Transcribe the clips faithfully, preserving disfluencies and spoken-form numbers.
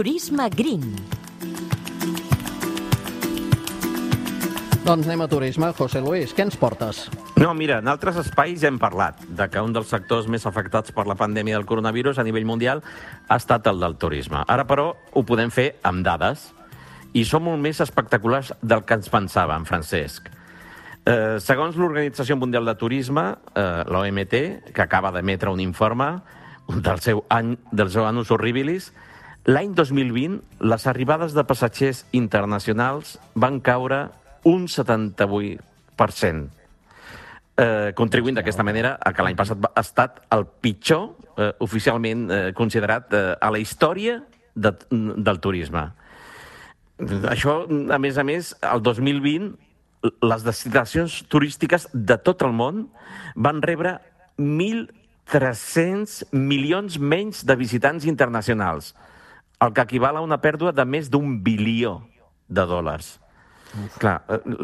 Turisme Green. Doncs anem a turisme. José Luis, què ens portes? No, mira, en altres espais ja hem parlat de que un dels sectors més afectats per la pandèmia del coronavirus a nivell mundial ha estat el del turisme. Ara, però, ho podem fer amb dades i són molt més espectaculars del que ens pensàvem, Francesc. Eh, segons l'Organització Mundial de Turisme, eh, l'O M T, que acaba d'emetre un informe del seu any del seu annus horribilis, l'any dos mil vint les arribades de passatgers internacionals van caure un setanta-vuit per cent, eh, contribuint d'aquesta manera a que l'any passat ha estat el pitjor eh, oficialment eh, considerat eh, a la història de, del turisme. Això, a més a més, el dos mil vint, les destinacions turístiques de tot el món van rebre mil tres-cents milions menys de visitants internacionals, el que equival a una pèrdua de més d'un bilió de dòlars. Uf. Clar,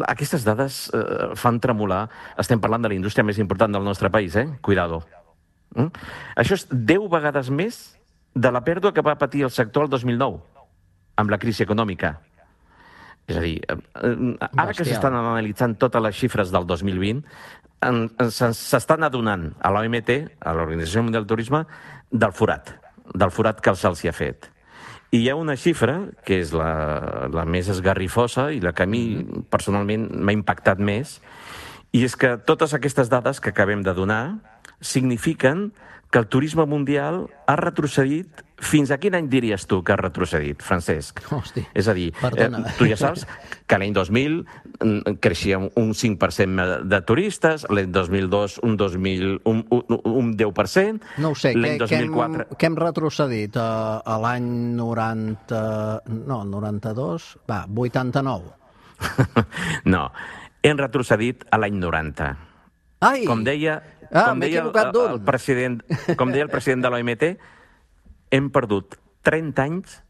aquestes dades eh, fan tremolar. Estem parlant de la indústria més important del nostre país, eh? Cuidado. Mm? Això és deu vegades més de la pèrdua que va patir el sector el dos mil nou, amb la crisi econòmica. És a dir, ara que s'estan analitzant totes les xifres del dos mil vint, s'estan adonant a l'O M T, a l'Organització Mundial del Turisme, del forat, del forat que se'ls hi ha fet. I hi ha una xifra, que és la, la més esgarrifosa i la que a mi personalment m'ha impactat més, i és que totes aquestes dades que acabem de donar signifiquen que el turisme mundial ha retrocedit. Fins a quin any diries tu que ha retrocedit, Francesc? Hosti, és a dir, eh, tu ja saps que l'any dos mil creixia un cinc per cent de turistes, l'any dos mil dos un, dos mil, un, un, un deu per cent... No ho sé, què, què, hem, què hem retrocedit a, a l'any noranta... No, noranta-dos? Va, vuitanta-nou. No, hem retrocedit a l'any noranta. Ai! Com deia, ah, com deia el, el, president, com deia el president de l'O M T, hem perdut trenta anys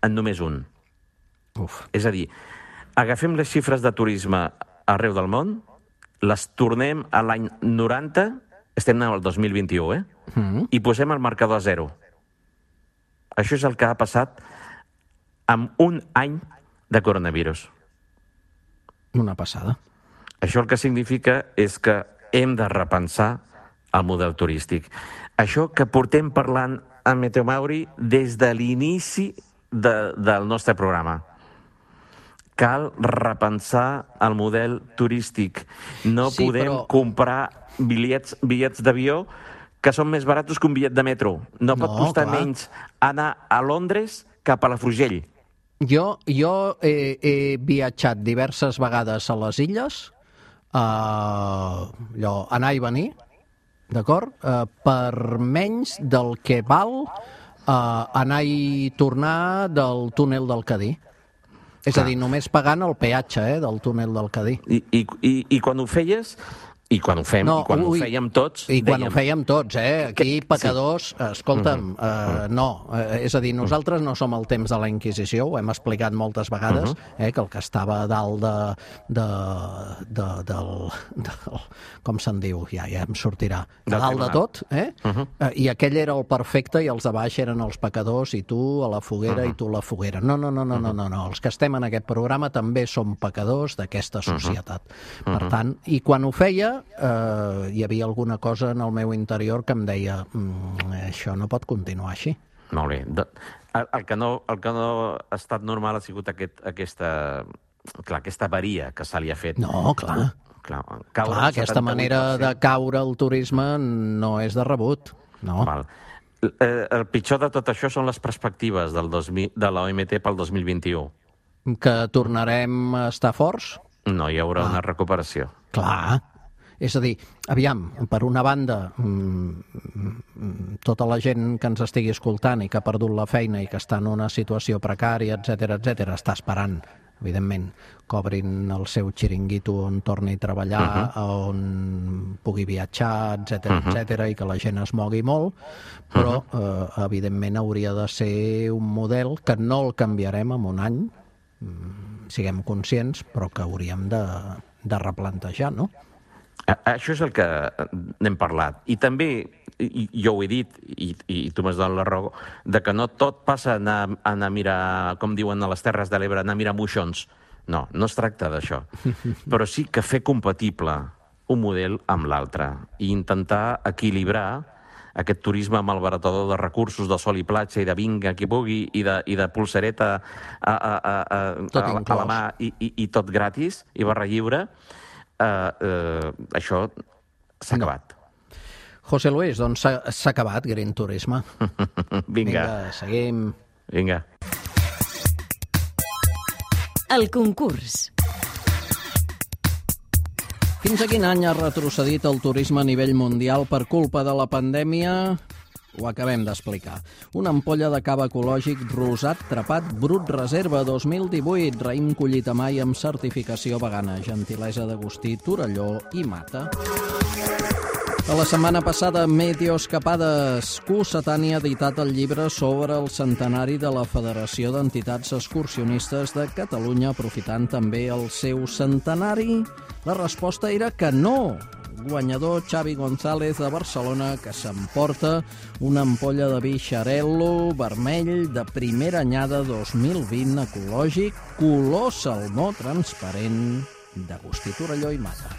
en només un. Uf. És a dir, agafem les xifres de turisme arreu del món, les tornem a l'any noranta, estem al dos mil vint-i-u, eh? Mm. I posem el marcador a zero. Això és el que ha passat amb un any de coronavirus. Una passada. Això el que significa és que hem de repensar el model turístic. Això que portem parlant a Meteo Mauri des de l'inici de, del nostre programa. Cal repensar el model turístic. No sí, podem però... comprar bitllets, bitllets d'avió que són més baratos que un bitllet de metro. No, no pot costar clar. menys anar a Londres que a Palafrugell. Jo, jo he, he viatjat diverses vegades a les illes, uh, allò, anar i venir, d'acord? Uh, per menys del que val uh, anar i tornar del túnel del Cadí. És Clar. a dir, només pagant el peatge eh, del túnel del Cadí. I, i, i, i quan ho feies... I quan ho fem, no, i quan ui, ho fèiem tots... I quan dèiem... ho fèiem tots, eh? Aquí, pecadors, sí. escolta'm, uh -huh. uh, no. Uh, és a dir, nosaltres no som al temps de la Inquisició, ho hem explicat moltes vegades, uh -huh. eh, que el que estava a dalt de... de, de del, del... com se'n diu? Ja, ja em sortirà. De dalt de tot, eh? Uh -huh. uh, I aquell era el perfecte i els de baix eren els pecadors i tu a la foguera uh -huh. i tu a la foguera. No, no, no, no, uh -huh. no, no, no. Els que estem en aquest programa també som pecadors d'aquesta societat. Uh -huh. Per tant, i quan ho feia Uh, hi havia alguna cosa en el meu interior que em deia mm, això no pot continuar així. Molt bé. De, el, el, que no, el que no ha estat normal ha sigut aquest, aquesta, clar, aquesta avaria que se li ha fet. No, clar. Clar, clar aquesta manera de caure al turisme no és de rebut. No. Val. El, el pitjor de tot això són les perspectives del dos mil, de l'O M T pel dos mil vint-i-u. Que tornarem a estar forts? No, hi haurà ah. una recuperació. Clar. És a dir, aviam, per una banda, mmm, tota la gent que ens estigui escoltant i que ha perdut la feina i que està en una situació precària, etcètera, etcètera, està esperant, evidentment, que obrin el seu xiringuito on torni a treballar, uh-huh. on pugui viatjar, etcètera, uh-huh. etcètera, i que la gent es mogui molt, però, uh-huh. eh, evidentment, hauria de ser un model que no el canviarem en un any, siguem conscients, però que hauríem de, de replantejar, no? Això és el que n'hem parlat. I també, i, jo ho he dit, i, i tu m'has donat la raó, de que no tot passa a anar, a anar a mirar, com diuen a les Terres de l'Ebre, anar a mirar moixons. No, no es tracta d'això. Però sí que fer compatible un model amb l'altre i intentar equilibrar aquest turisme malbaratador de recursos, de sol i platja, i de vinga, qui pugui, i de, i de pulsereta a, a, a, a, a, a la mà, i, i, i tot gratis, i barra lliure. Uh, uh, això s'ha no. acabat. José Luis, doncs s'ha acabat Green Turisme. Vinga. Vinga, seguim. Vinga. El concurs. Fins a quin any ha retrocedit el turisme a nivell mundial per culpa de la pandèmia? Ho acabem d'explicar. Una ampolla de cava ecològic rosat trapat Brut Reserva dos mil divuit, raïm collit a mai amb certificació vegana, gentilesa d'Agustí Torelló i Mata. A la setmana passada, Meteos Escapades, Q Setani ha editat el llibre sobre el centenari de la Federació d'Entitats Excursionistes de Catalunya, aprofitant també el seu centenari. La resposta era que no. Guanyador Xavi González de Barcelona, que s'emporta una ampolla de vi Xarel·lo vermell de primera anyada dos mil vint ecològic, color salmó transparent d'Agustí Torelló i Mata.